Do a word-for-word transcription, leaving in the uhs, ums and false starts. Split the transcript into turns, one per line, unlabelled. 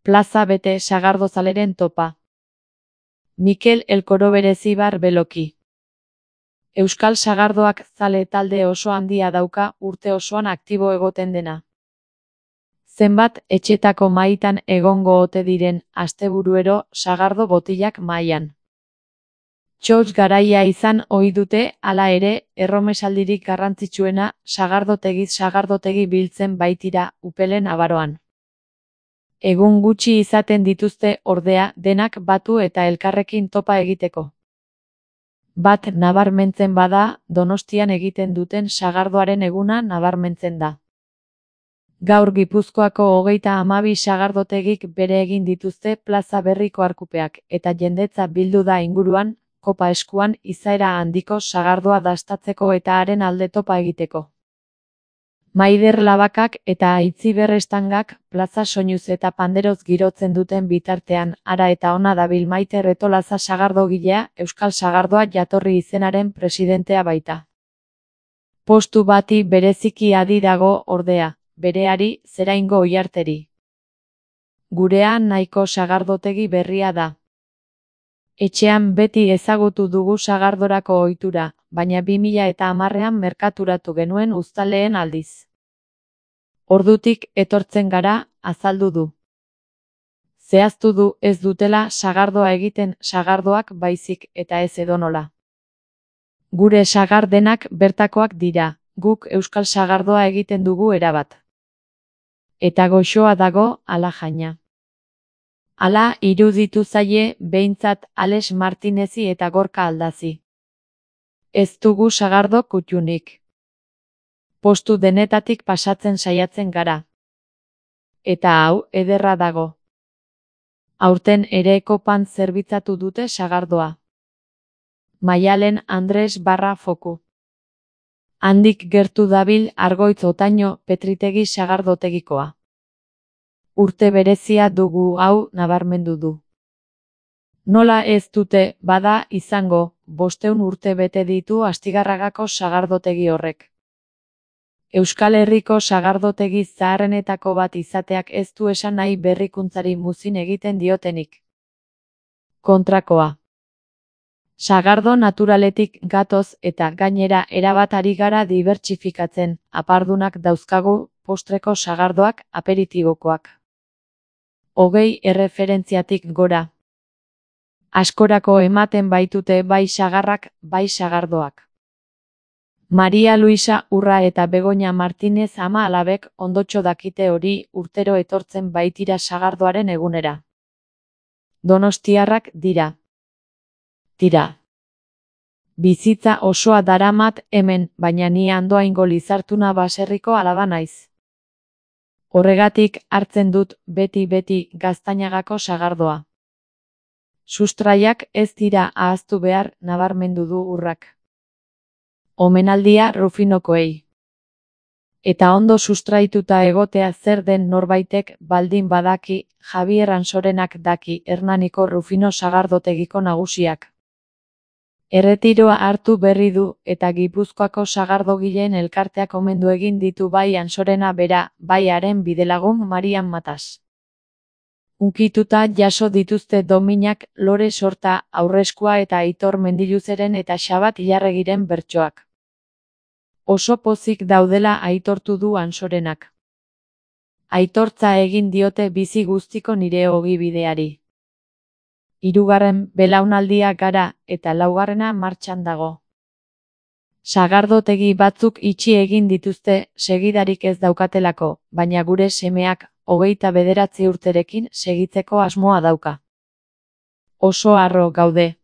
Plaza bete sagardozaleren topa. Mikel Elkoro berezibar beloki. Euskal sagardoak zale talde oso handia dauka urte osoan aktibo egoten dena. Zenbat etxetako maitan egongo ote diren asteburuero sagardo botilak mailan. Txotx garaia izan ohi dute, hala ere, erromesaldirik garrantzitsuena sagardotegiz sagardotegi biltzen baitira upelen abaroan. Egun gutxi izaten dituzte ordea denak batu eta elkarrekin topa egiteko. Bat nabarmentzen bada, Donostian egiten duten sagardoaren eguna nabarmentzen da. Gaur Gipuzkoako hogeita hamabi sagardotegik bere egin dituzte plaza berriko arkupeak, eta jendetza bildu da inguruan, kopa eskuan izaera handiko sagardoa dastatzeko eta haren alde topa egiteko. Maider Labakak eta Aitziber Estangak plaza soinuz eta panderoz girotzen duten bitartean, hara eta ona dabil Maite Retolaza sagardogilea, Euskal Sagardoa jatorri izenaren presidentea baita. Postu bati bereziki adi dago ordea, bereari Zeraingo Oiarteri. Gurean nahiko sagardotegi berria da. Etxean beti ezagutu dugu sagardorako ohitura, baina bi mila eta hamarrean merkaturatu genuen uztaleen aldiz. Ordutik etortzen gara, azaldu du. Zehaztu du ez dutela sagardoa egiten sagardoak baizik eta ez edonola. Gure sagardenak bertakoak dira, guk euskal sagardoa egiten dugu erabat. Eta goxoa dago, ala jaina. Hala iruditu zaie behintzat Alex Martinezi eta Gorka Aldazi. Ez dugu sagardo kuttunik. Postu denetatik pasatzen saiatzen gara. Eta hau ederra dago. Aurten ere kopan zerbitzatu dute sagardoa. Maialen Andres barra foku. Handik gertu dabil Argoitz Otaino Petritegi sagardotegikoa. Urte berezia dugu hau nabarmendu du. Nola ez dute, bada, izango, bosteun urte bete ditu Astigarragako sagardotegi horrek. Euskal Herriko sagardotegi zaharrenetako bat izateak ez du esan nahi berrikuntzari muzin egiten diotenik. Kontrakoa. Sagardo naturaletik gatoz eta gainera erabat ari gara dibertsifikatzen, apardunak dauzkagu, postreko sagardoak, aperitibokoak. Hogei erreferentziatik gora. Askorako ematen baitute bai sagarrak, bai sagardoak. Maria Luisa Urra eta Begoña Martinez ama alabek ondotxo dakite hori urtero etortzen baitira sagardoaren egunera. Donostiarrak dira. Tira. Bizitza osoa daramat hemen, baina ni Andoaingo Lizartuna baserriko alaba naiz. Horregatik hartzen dut beti-beti Gaztainagako sagardoa. Sustraiak ez dira ahaztu behar, nabarmendu du Urrak. Omenaldia Rufinokoei. Eta ondo sustraituta egotea zer den norbaitek baldin badaki, Javier Ansorenak daki Hernaniko Rufino sagardotegiko nagusiak. Erretiroa hartu berri du eta Gipuzkoako sagardogileen elkarteak omendu egin ditu bai Ansorena bera, bai haren bidelagun Marian Matas. Unkituta jaso dituzte Dominak, Lore Sorta, Aurreskua eta Aitor Mendiluzeren eta Xabat Ilarregiren bertsoak. Oso pozik daudela aitortu du Ansorenak. Aitortza egin diote bizi guztiko nire ogibideari. Hirugarren belaunaldia gara eta laugarrena martxan dago. Sagardotegi batzuk itxi egin dituzte segidarik ez daukatelako, baina gure semeak hogeita bederatzi urterekin segitzeko asmoa dauka. Oso harro gaude.